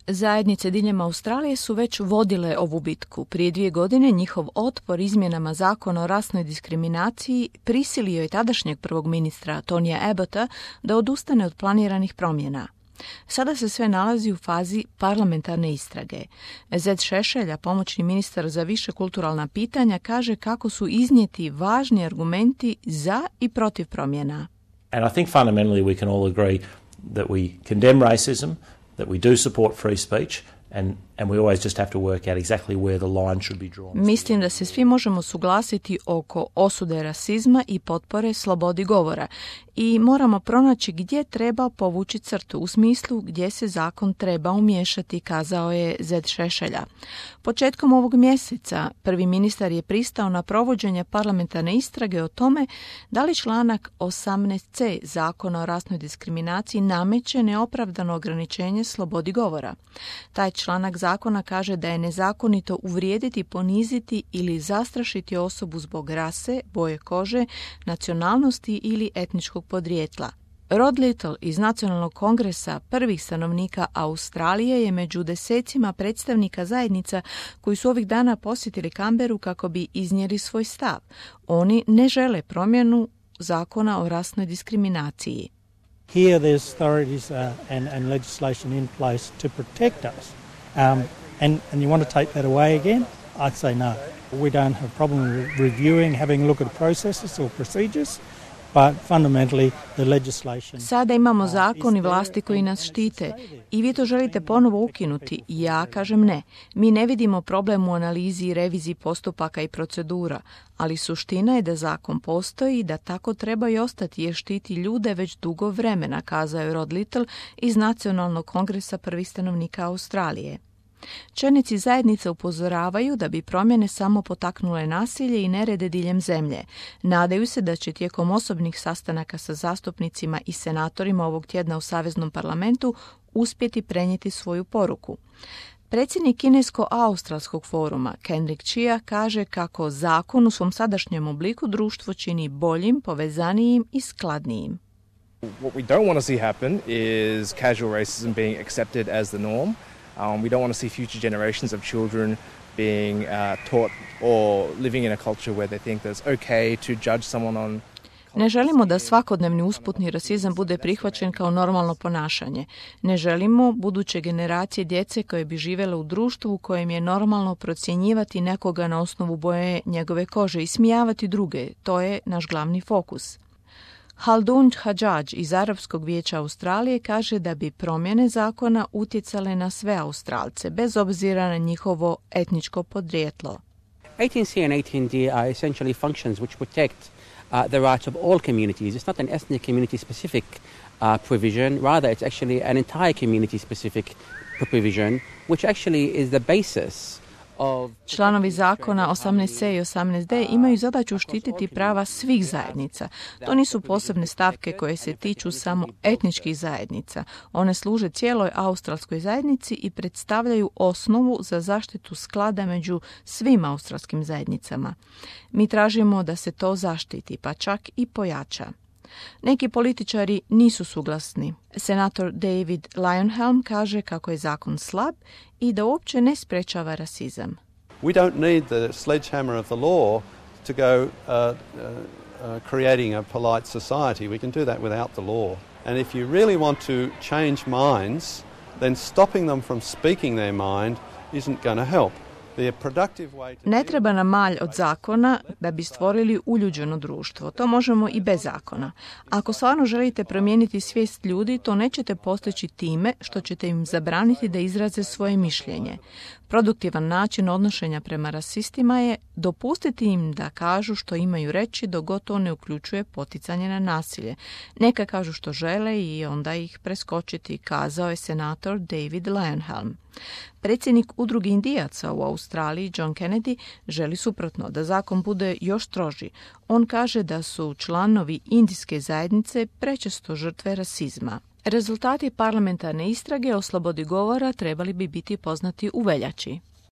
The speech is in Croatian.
Zajednice diljem Australije su već vodile ovu bitku. Prije 2 godine njihov otpor izmjenama zakona o rasnoj diskriminaciji prisilio je tadašnjeg prvog ministra Tonija Abbotta da odustane od planiranih promjena. Sada se sve nalazi u fazi parlamentarne istrage. Zed Šešelja, pomoćni ministar za više kulturalna pitanja, kaže kako su iznijeti važni argumenti za i protiv promjena. And I think fundamentally we can all agree that we condemn racism, that we do support free speech, and we always just have to work out exactly where the line should be drawn. Mislim da se svi možemo suglasiti oko osude rasizma i potpore slobodi govora i moramo pronaći gdje treba povući crtu, u smislu gdje se zakon treba umiješati, kazao je Zed Šešelja. Početkom ovog mjeseca prvi ministar je pristao na provođenje parlamentarne istrage o tome da li članak 18c zakona o rasnoj diskriminaciji nameće neopravdano ograničenje slobodi govora. Taj članak zakona kaže da je nezakonito uvrijediti, poniziti ili zastrašiti osobu zbog rase, boje kože, nacionalnosti ili etničkog podrijetla. Rod Little iz Nacionalnog kongresa prvih stanovnika Australije je među desecima predstavnika zajednica koji su ovih dana posjetili Canberru kako bi iznijeli svoj stav. Oni ne žele promjenu zakona o rasnoj diskriminaciji. Here there's authorities and legislation in place to protect us. And you want to take that away again? I'd say no. We don't have a problem reviewing, having a look at processes or procedures, but fundamentally the legislation... Sada imamo zakon i vlasti koji nas štite i vi to želite ponovo ukinuti. Ja kažem ne. Mi ne vidimo problem u analizi i reviziji postupaka i procedura, ali suština je da zakon postoji i da tako treba i ostati jer štiti ljude već dugo vremena, kazao je Rod Little iz Nacionalnog kongresa prvih stanovnika Australije. Čelnici zajednice upozoravaju da bi promjene samo potaknule nasilje i nerede diljem zemlje. Nadaju se da će tijekom osobnih sastanaka sa zastupnicima i senatorima ovog tjedna u Saveznom parlamentu uspjeti prenijeti svoju poruku. Predsjednik Kinesko-Australskog foruma Kendrick Chia kaže kako zakon u svom sadašnjem obliku društvo čini boljim, povezanijim i skladnijim. What we don't want to see happen is casual racism being accepted as the norm. We don't want to see future generations of children being taught or living in a culture where they think that it's okay to judge someone on. Ne želimo da svakodnevni usputni rasizam bude prihvaćen kao normalno ponašanje. Ne želimo buduće generacije djece koje bi živjele u društvu u kojem je normalno procjenjivati nekoga na osnovu boje njegove kože i smijavati druge. To je naš glavni fokus. Haldun Hadžadž iz Arapskog vijeća Australije kaže da bi promjene zakona utjecale na sve Australce, bez obzira na njihovo etničko podrijetlo. 18C and 18D are essentially functions which protect the rights of all communities. It's not an ethnic community specific provision, rather it's actually an entire community specific provision, which actually is the basis. Članovi zakona 18C i 18D imaju zadaću štititi prava svih zajednica. To nisu posebne stavke koje se tiču samo etničkih zajednica. One služe cijeloj australskoj zajednici i predstavljaju osnovu za zaštitu sklada među svim australskim zajednicama. Mi tražimo da se to zaštiti, pa čak i pojača. Neki političari nisu suglasni. Senator David Leyonhjelm kaže kako je zakon slab i da uopće ne sprečava rasizam. We don't need the sledgehammer of the law to go creating a polite society. We can do that without the law. And if you really want to change minds, then stopping them from speaking their mind isn't going to help. Ne treba nam malj od zakona da bi stvorili uljuđeno društvo. To možemo i bez zakona. Ako stvarno želite promijeniti svijest ljudi, to nećete postići time što ćete im zabraniti da izraze svoje mišljenje. Produktivan način odnošenja prema rasistima je dopustiti im da kažu što imaju reći dok god to ne uključuje poticanje na nasilje. Neka kažu što žele i onda ih preskočiti, kazao je senator David Leyonhjelm. Predsjednik udruge Indijaca u Australiji, John Kennedy, želi suprotno, da zakon bude još stroži. On kaže da su članovi indijske zajednice prečesto žrtve rasizma. Rezultati parlamentarne istrage o slobodi govora trebali bi biti poznati u veljači.